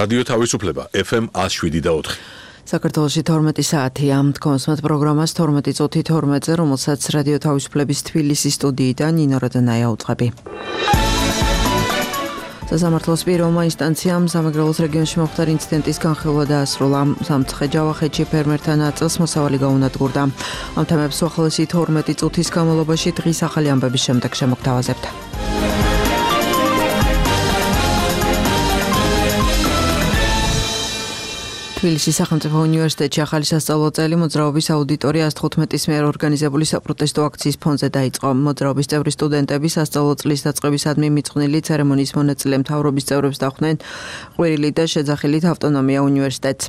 რადიო თავისუფლება FM 107.4. საქართველოში 12 საათია. თქვენს პროგრამას 12 წუთი 12-ზე, რომელსაც რადიო თავისუფლების თბილისის სტუდიიდან ნინო როდანაია უძღვები. სასამართლოს პირველმა ინსტანციამ სამეგრელოს რეგიონში მომხდარ ინციდენტის განხილვა დაასრულა. სამცხე ჯავახეთში ფერმერთა ნაწილს მოსავალი გაუნადგურდა. ამ თემებს უახლოესი 12 წუთის განმავლობაში დღის ახალი ამბების შემდეგ შემოგთავაზებთ. თბილისის სახელმწიფო უნივერსიტეტში ახალი სასწავლო წელი მოძრაობის აუდიტორია 115-ის მიერ ორგანიზებული საპროტესტო აქციის ფონზე დაიწყო. მოძრაობის წევრი სტუდენტები სასწავლო წლის დაწყებისადმი მიწყვნილი ცერემონიის მონაწილე მთავრობის წევრებს დახვდნენ ყვირილი და შეძახილით ავტონომია უნივერსიტეტს.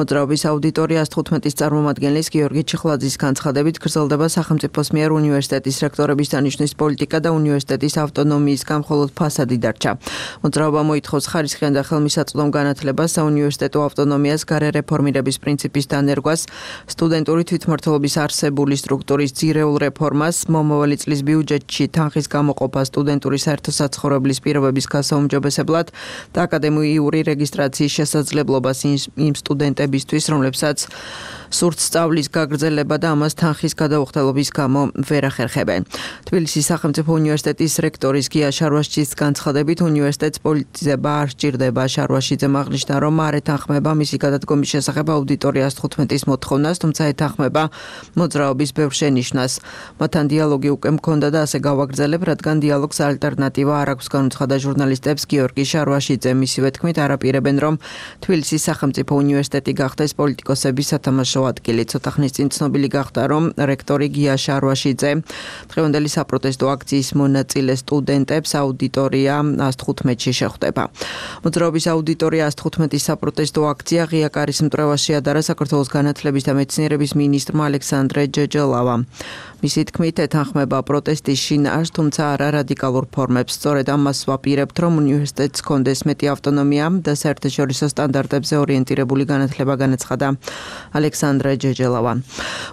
მოძრაობის აუდიტორია 115-ის წარმომადგენლის გიორგი ჩიხლაძის განცხადებით გრძელდება სახელმწიფოს მიერ უნივერსიტეტის რექტორების დანიშვნის პოლიტიკა და უნივერსიტეტის ავტონომიისგან მხოლოდ ფასადი დარჩა. მოძრაობა მოითხოვს ხარისხიან და ხელმისაწვდომ განათლებას, საუნივერსიტეტო ავტონომიას, რეფორმირების პრინციპის დანერგვას, სტუდენტური თვითმმართველობის არსებული სტრუქტურის ძირეულ რეფორმას, მომავალი წლის ბიუჯეტში თანხის გამოყოფას სტუდენტური საერთო-საცხოვრებლის პირობების გასაუმჯობესებლად და აკადემიური რეგისტრაციის შესაძლებლობას იმ სტუდენტებისთვის, რომლებსაც სურთ სწავლის გაგრძელება და ამას თანხის გადაუხდელობის გამო ვერ ახერხებენ. თბილისის სახელმწიფო უნივერსიტეტის რექტორის გია შარვაშიძის განცხადებით, უნივერსიტეტს პოლიტიზება არ სჭირდება. შარვაშიძემ აღნიშნა, რომ არ ეთანხმება მისი გადადგომის შესახებ აუდიტორიას 15-ის მოთხოვნას, თუმცა ეთანხმება მოძრაობის ბევრ შენიშვნას. მათთან დიალოგი უკვე მქონდა და ასე გავაგრძელებ, რადგან დიალოგს ალტერნატივა არ აქვს, განუცხადა ჟურნალისტებს გიორგი შარვაშიძე. მისივე თქმით, არაპირებენ, რომ თბილისის სახელმწიფო უნივერსიტეტი გახდეს პოლიტიკოსების სათამაშო ადგილი. ცოტა ხნის წინ ცნობილი გახდა, რომ რექტორი გია შარვაშიძე დღევანდელი საპროტესტო აქციის მონაწილე სტუდენტებს აუდიტორია 115-ში შეხვდება. მოძრაობის აუდიტორია 115-ის საპროტესტო აქცია ღია კარის მტრევაში ადარა საქართველოს განათლების და მეცნიერების მინისტრმა ალექსანდრე ჯეჯელავამ. მისი თქმით, ეთანხმება პროტესტის შინაარსს, თუმცა არა რადიკალურ ფორმებს. სწორედ ამას ვაპირებთ, რომ უნივერსიტეტს ჰქონდეს მეტი ავტონომია და საერთაშორისო სტანდარტებზე ორიენტირებული განათლება, განაცხადა ალექსანდრე ჯეჯელავა.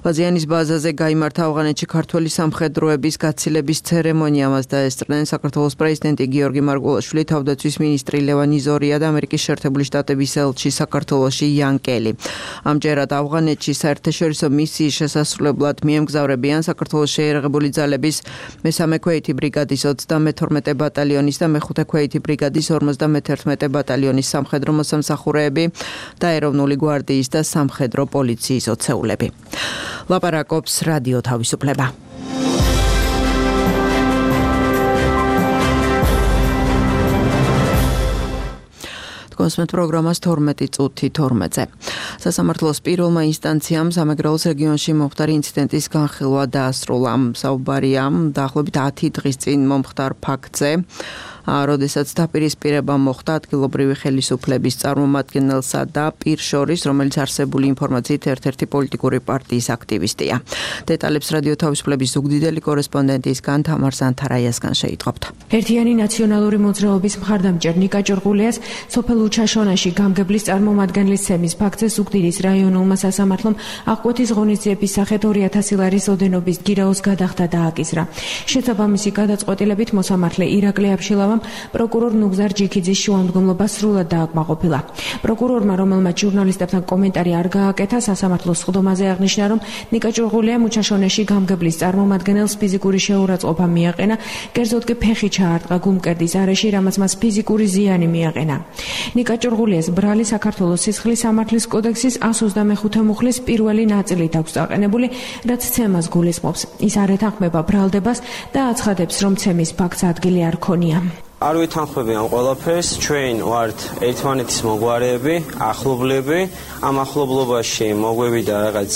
ვაზიანის ბაზაზე გაიმართა ავღანეთში ქართველი სამხედროების გაცილების ცერემონია. მას დაესწრნენ საქართველოს პრეზიდენტი გიორგი მარგველაშვილი, თავდაცვის მინისტრი ლევანი ზორია და ამერიკის შეერთებული შტატების ელჩი საქართველოში იან კელი. ამჯერად ავღანეთში საერთაშორისო მისიის შესასრულებლად მიემგზავრებიან საქართველოს შეიარაღებული ძალების მე-3 ქვეითი ბრიგადის 32 ბატალიონის და მე-5 ქვეითი ბრიგადის 51 ბატალიონის სამხედრო მოსამსახურეები და ეროვნული გვარდიის და სამხედრო პოლიციის ოცეულები. ლაპარაკობს რადიო თავისუფლება. კონსმეთ პროგრამას 12 წუთი 12-ზე. სასამართლოს პირველმა ინსტანციამ სამეგრელოს რეგიონში მომხდარ ინციდენტის განხილვა დაასრულა. საუბარია დაახლოებით 10 დღის წინ მომხდარ ფაქტზე, როდესაც დაპირისპირება მოხდა ადგილობრივი ხელისუფლების წარმომადგენელსა და პირ შორის, რომელიც არსებული ინფორმაციით ერთ-ერთი პოლიტიკური პარტიის აქტივისტია. დეტალებს რადიო თავისუფლების ზუგდიდელი კორესპონდენტისგან თამარ ზანთარაიასგან შეიტყობთ. ერთიანი ნაციონალური მოძრაობის მხარდამჭერ ნიკა ჭორღულიას სოფელ უჩაშონაში გამგებლის წარმომადგენლის ცემის ფაქტზე ზუგდიდის რაიონულმა სასამართლომ აღკვეთის ღონისძიების სახით 200 ლარის ოდენობის გირაოს გადახდა დააკისრა. შესაბამისი გადაწყვეტილებით მოსამართლე ირაკლი აბშილავა პროკურორ ნუგზარ ჯიქიძის შუამდგომლობა სრულად დააკმაყოფილა. პროკურორმა, რომელმაც ჟურნალისტებთან კომენტარი არ გააკეთა, სასამართლოს სხდომაზე აღნიშნა, რომ ნიკა ჭორღულიამ უჩაშონეში გამგებლის წარმომადგენელს ფიზიკური შეურაცხყოფა მიაყენა, კერძოდ კი ფეხი ჩაარტყა გუმკერდის არეში, რამაც მას ფიზიკური ზიანი მიაყენა. ნიკა ჭორღულიას ბრალი საქართველოს სისხლის სამართლის კოდექსის 125 მუხლის პირველი ნაწილით აქვს დაყენებული, რაც ცემას გულისხმობს. ის არ ეთანხმება ბრალდებას და აცხადებს, რომ ცემის ფაქტს ადგილი არ ქონია. არ ვითანხმები ამ ყველაფერს, ჩვენ ვართ ერთმანეთის მოგვარეები, ახლობლები, ამ ახლობლობაში მოგვევიდა რაღაც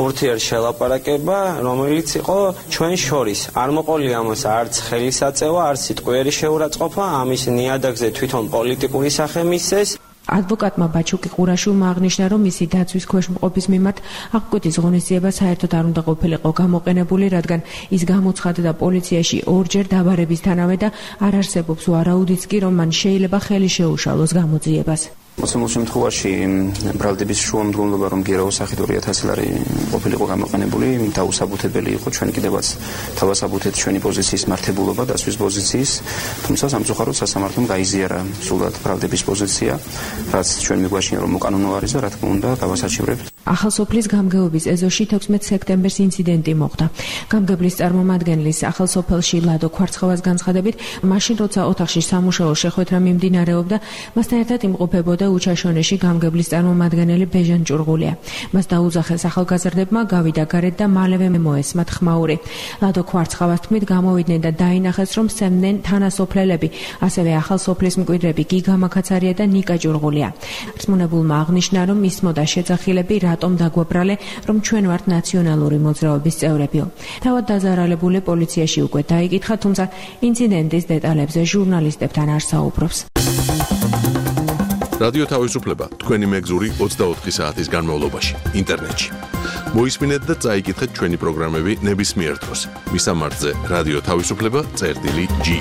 ურთიერთშელაპარაკება, რომელიც იყო ჩვენ შორის. არ მოყოლია ამას არც ხელისაწევა, არც სიტყვიერი შეურაცხყოფა, ამის ნიადაგზე თვითონ პოლიტიკური სახე მისცეს. ადვოკატმა ბაჩუკი ყურაშვილმა აღნიშნა, რომ მისი დაცვის ქვეშ მყოფის მიმართ აღკვეთის ღონისძიება საერთოდ არ უნდა ყოფილიყო გამოყენებული, რადგან ის გამოცხადდა პოლიციაში ორჯერ დაბარებისთანავე და არ არსებობს ვარაუდიც კი, რომ მან შეიძლება ხელი შეუშალოს გამოძიებას. მოცემულ შემთხვევაში ბრალდების შუამდგომლობა რომ გერაო სახით 2000 ლარი ყოფილიყო გამოყენებული, დაუსაბუთებელი იყო ჩვენ კიდევაც თავასაბუთეთ ჩვენი პოზიციის მართებულობა დასვის პოზიციის, თუმცა სამწუხაროდ სასამართლომ გაიზიარა სულად ბრალდების პოზიცია, რაც ჩვენ მიგვაშინა რომ უკანონო არის და რა თქმა უნდა გავასაჩივრებთ. ახალსოფლის გამგეობის ეზოში 16 სექტემბერს ინციდენტი მოხდა. გამგებლის წარმომადგენლის ახალსოფელში ლადო ქვარცხავას განცხადებით, მაშინ როცა ოთახში სამუშაო შეხვედრა მიმდინარეობდა, მასთან ერთად იმყოფებოდა უჩაშონეში გამგებლის წარმომადგენელი ბეჟან ჭურღულია. მას დაუძახეს ახალგაზრდებმა, გავიდა გარეთ და მალევე მოესმათ ხმაური. ლადო ქვარცხავას თქმით, გამოვიდნენ და დაინახეს, რომ სცემდნენ თანასოფლელები, ასევე ახალსოფლის მკვიდრები გიგა მაკაცარია და ნიკა ჭურღულია. რწმუნებულმა აღნიშნა, რომ ისმოდა შეძახილები რატომ დაგვაბრალე, რომ ჩვენ ვართ ნაციონალური მოძრაობის წევრებიო. თავად დაზარალებული პოლიციაში უკვე დაიკითხა, თუმცა ინციდენტის დეტალებზე ჟურნალისტებთან არ საუბრობს. რადიო თავისუფლება თქვენი მეგზური 24 საათის განმავლობაში ინტერნეტში. მოისმინეთ და წაიკითხეთ ჩვენი პროგრამები ნებისმიერ დროს. მისამართზე რადიო თავისუფლება.ge.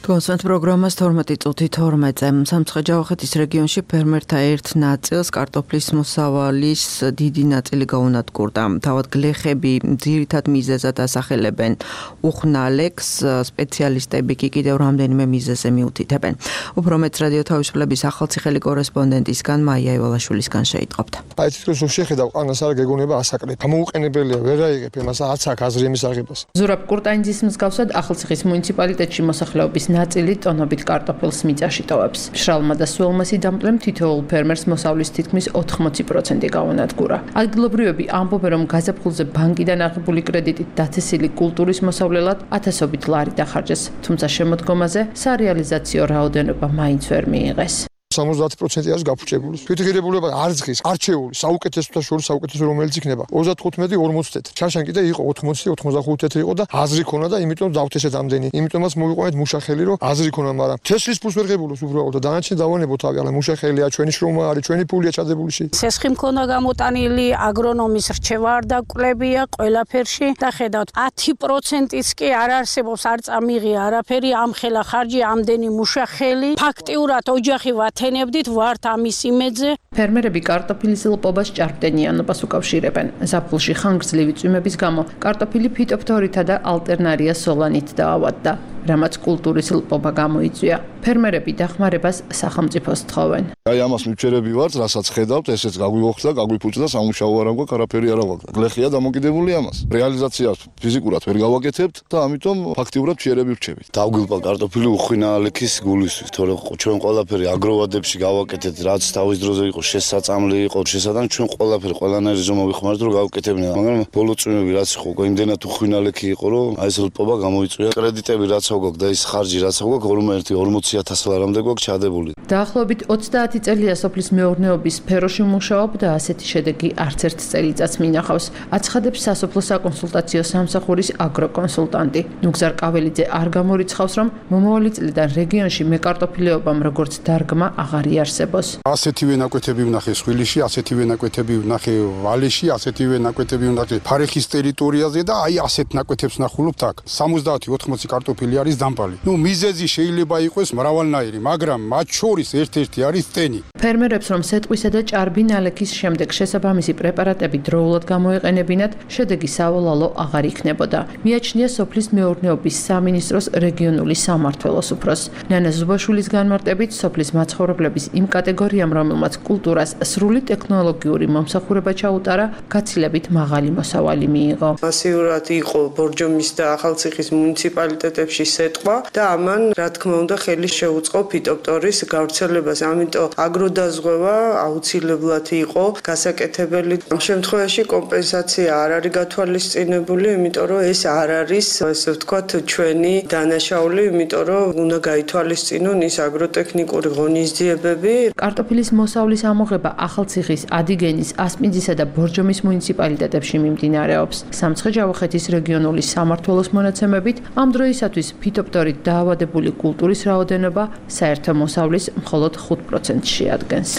კონსტანტ პროგრამას 12 წუთი 12-ზე სამცხე-ჯავახეთის რეგიონში ფერმერთა ერთ ნაწილს კარტოფლის მოსავალის დიდი ნაწილი გაუნადგურდა. თავად გლეხები ძირითად მიზეზად ასახელებენ უხნალექს, სპეციალისტები კი კიდევ რამდენიმე მიზეზზე მიუთითებენ. უფრო მეც რადიო თავისუფლების ახალციხელი კორესპონდენტისგან მაია ევალაშვილისგან შეიტყობთ. აი თვითონ შეხედავ ყანას არ გეგონება ასაკრებ. გამოუყენებელია, ვერ აიღებ იმას, არც აქ აზრი იმის აღებას. ზურაბ კურტანიძის მსგავსად ახალციხის მუნიციპალიტეტში მოსახლეობის ნაწილი ტონობით კარტოფილს მიწაში ტოვებს. მშრალმა და სველმა სიდამპლემ თითოეულ ფერმერს მოსავლის თითქმის 80% გაუნადგურა. ადგილობრივები ამბობენ, რომ გაზაფხულზე ბანკიდან აღებული კრედიტით დათესილი კულტურის მოსავლელად ათასობით ლარი დახარჯეს, თუმცა შემოდგომაზე სარეალიზაციო რაოდენობა მაინც ვერ მიიღეს. 70% არის გაფუჭებული. თვითღირებულება არ ზღის, არჩეული, საუკეთესოთა შორის საუკეთესო რომელიც იქნება. 35-40 თეთრ. ჩაშან კიდე იყო 80-85 თეთრი იყო და აზრი ქონა და იმიტომ დავთესეთ ამდენი. იმიტომაც მოვიყვანეთ მუშახელი, რომ აზრი ქონა, მაგრამ თესლის ფულს ვერ ღებულობს უბრალოდ და დანარჩენი დავანებოთ თავი, αλλά მუშახელია, ჩვენი შრომა არის, ჩვენი ფულია ჩადებულში. სესხი მქონდა გამოტანილი, აგრონომის რჩევა არ დაკლებია ყველაფერში და ხედავთ 10%-იც კი არ არსებობს, არ წამიღია არაფერი, ამხელა ხარჯი, ამდენი მუშახელი. ფაქტიურად ოჯახი ვათენებდით, ვართ ამის იმედზე. ფერმერები კარტოფილის ლპობას ჭარბტენიანობას უკავშირებენ. ზაფხულში ხანგრძლივი წვიმების გამო კარტოფილი ფიტოფთორითა და ალტერნარია სოლანით დაავადდა, რამაც კულტურის ლპობა გამოიწვია. ფერმერები დახმარებას სახელმწიფოს თხოვენ. აი ამას მივჩერები ვართ, რასაც ხედავთ, ესეც გაგვიოხდა, გაგვიფუჭდა, სამუშაო არ აქვს, არაფერი არ აქვს. გლეხია დამოკიდებული ამას. რეალიზაციას ფიზიკურად ვერ გავაკეთებთ და ამიტომ ფაქტიურად მჩერები ვრჩებით. დავგილყა კარტოფილი უხინალექის გულისთვის, თორე ჩვენ ყველაფერი აგროვადებში გავაკეთეთ, რაც თავის დროზე იყო შესაწამლი, იყო შესაძლოა ჩვენ ყველაფერი ყველანაირი ზომა ვიხმარეთ, რომ გავაკეთებინა, მაგრამ ბოლო წვიმები რაც იყო, იმდენად უხინალექი იყო, რომ აი ეს ლპობა გამოიწვია. კრედიტები რაც აქვს და ის ხარჯი რაც აქვს, 41-40,000 ლარამდე გვაქვს ჩადებული. დაახლოებით 30 წელია სოფლის მეურნეობის სფეროში მუშაობ და ასეთი შედეგი არც ერთ წელიწადს მინახავს. აცხადებს სასოფლო საკონსულტაციო სამსახურის აგროკონსულტანტი. ნუგზარ კაველიძე არ გამორიცხავს, რომ მომავალი წლიდან რეგიონში მეკარტოფილეობამ როგორც დარგმა აღარ იარსებოს. ასეთივე ნაკვეთები ვნახე სხვილიში, ასეთივე ნაკვეთები ვნახე ვალეში, ასეთივე ნაკვეთები ვნახე ფარეხის ტერიტორიაზე და აი ასეთ ნაკვეთებს ნახულობთ აქ. 70-80 კარტოფილი არის დამპალი. მიზეზი შეიძლება იყოს მრავალნაირი, მაგრამ მათ შორის ერთ-ერთი არის ტენი. ფერმერებს რომ სეტყვისა და ჭარბი ნალექის შემდეგ შესაბამისი პრეპარატები დროულად გამოეყენებინათ, შედეგი სავალალო აღარ იქნებოდა. მიაჩნია სოფლის მეურნეობის სამინისტროს რეგიონული სამმართველოს უფროს. ნანა ზუბაშვილის განმარტებით, სოფლის მაცხოვრებლების იმ კატეგორიამ, რომელმაც კულტურას სრული ტექნოლოგიური მომსახურება ჩაუტარა, გაცილებით მაღალი მოსავალი მიიღო. მასიურად იყო ბორჯომის და ახალციხის მუნიციპალიტეტებში სეტყვა და ამან, რა თქმა უნდა, ხელი შეუწყო ფიტოფთორის გავრცელებას. ამიტომ აგროდაზღვევა აუცილებლად იყო გასაკეთებელი. ამ შემთხვევაში კომპენსაცია არ არის გათვალისწინებული, იმიტომ რომ ეს არ არის, ასე ვთქვათ, ჩვენი დანაშაული, იმიტომ რომ უნდა გაითვალისწინონ ის აგროტექნიკური ღონისძიებები. კარტოფილის მოსავლის ამოღება ახალციხის, ადიგენის, ასპინძისა და ბორჯომის მუნიციპალიტეტებში მიმდინარეობს. სამცხე-ჯავახეთის რეგიონული სამმართველოს მონაცემებით, ამ დროისათვის ფიტოფთორით დაავადებული კულტურის რაოდენობა საერთო მოსავლის მხოლოდ 5%-ს შეადგენს.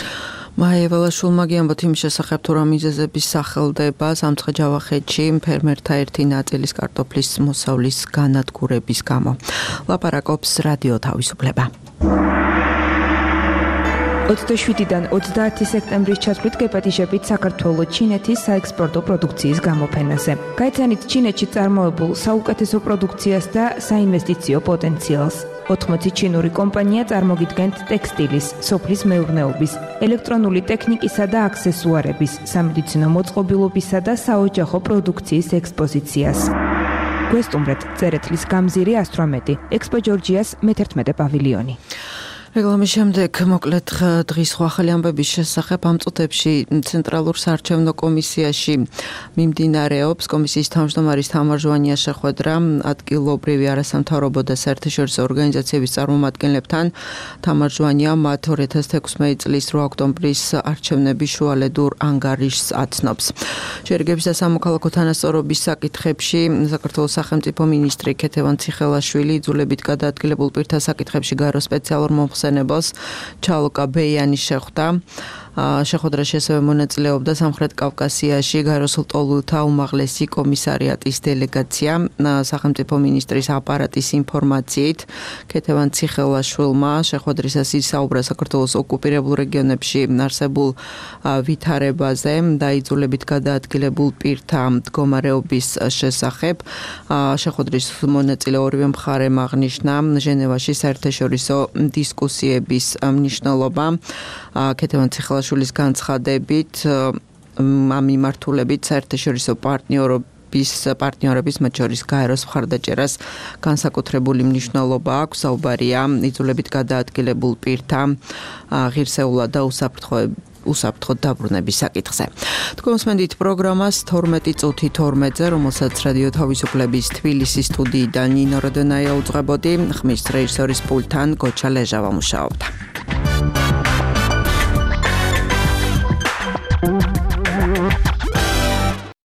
მაია ევალაშვილმა გიამბოთ იმ შესახებ, თუ რა მიზეზების სახელდება სამცხე-ჯავახეთში ფერმერთა ერთი ნაწილის კარტოფლის მოსავლის განადგურების გამო. ლაპარაკობს რადიო თავისუფლება. 27-დან 30 სექტემბრის ჩათვლით გეპატიჟებით საქართველოს ჩინეთის საექსპორტო პროდუქციის გამოფენაზე. გაიცანით ჩინეთში წარმოებულ საუკეთესო პროდუქციას და საინვესტიციო პოტენციალს. 80 ჩინური კომპანია წარმოგიდგენთ ტექსტილის, სოფლის მეურნეობის, ელექტრონული ტექნიკისა და აქსესუარების, სამედიცინო მოწყობილობისა და საოჯახო პროდუქციის ექსპოზიციას. გვესტუმრეთ წერეთლის გამზირი 118, ექსპო ჯორჯიას მე-11 პავილიონი. რეკლამის შემდეგ მოკლედ დღის ახალი ამბების შესახებ ამ წუთებში ცენტრალურ საარჩევნო კომისიაში მიმდინარეობს კომისიის თავმჯდომარის თამარ ჟვანიას შეხვედრა ადგილობრივი არასამთავრობო და საერთაშორისო ორგანიზაციების წარმომადგენლებთან. თამარ ჟვანია მათ 2016 წლის 8 ოქტომბრის არჩევნების შუალედურ ანგარიშს აცნობს. შერიგების და სამოქალაქო თანასწორობის საკითხებში საქართველოს სახელმწიფო მინისტრი ქეთევან ციხელაშვილი იძულებით გადაადგილებულ პირთა საკითხებში გარო სპეციალურ მომხსენებელს ჩალოკა ბეიანი შეხვდა. შეხვედრაში ასევე მონაწილეობდა სამხრეთ კავკასიაში გაროსულ ტოლულთა უმაღლესი კომისარიატის დელეგაცია. სახელმწიფო მინისტრის აპარატის ინფორმაციით ქეთევან ციხელაშვილმა შეხვედრისას ისაუბრა საქართველოს ოკუპირებულ რეგიონებში არსებულ ვითარებაზე და იძულებით გადაადგილებულ პირთა მდგომარეობის შესახებ. შეხვედრის მონაწილე ორივე მხარემ აღნიშნა ჟენევაში საერთაშორისო დისკუსიების მნიშვნელობა. ქეთევან ციხელაშვილის განცხადებით ამ მიმართულებით საერთაშორისო პარტნიორების მათ შორის გაეროს მხარდაჭერას განსაკუთრებული მნიშვნელობა აქვს. საუბარია იძულებით გადაადგილებულ პირთა ღირსეულად და უსაფრთხოდ დაბრუნების საკითხზე. თქვენ მოსმენთ პროგრამას 12 წუთი 12-ზე, რომელსაც რადიო თავისუფლების თბილისის სტუდიიდან ნინო როდონაია უძღვებოდი, ხმის რეჟისორის პულტთან გოჩა ლეჟავა მუშაობდა.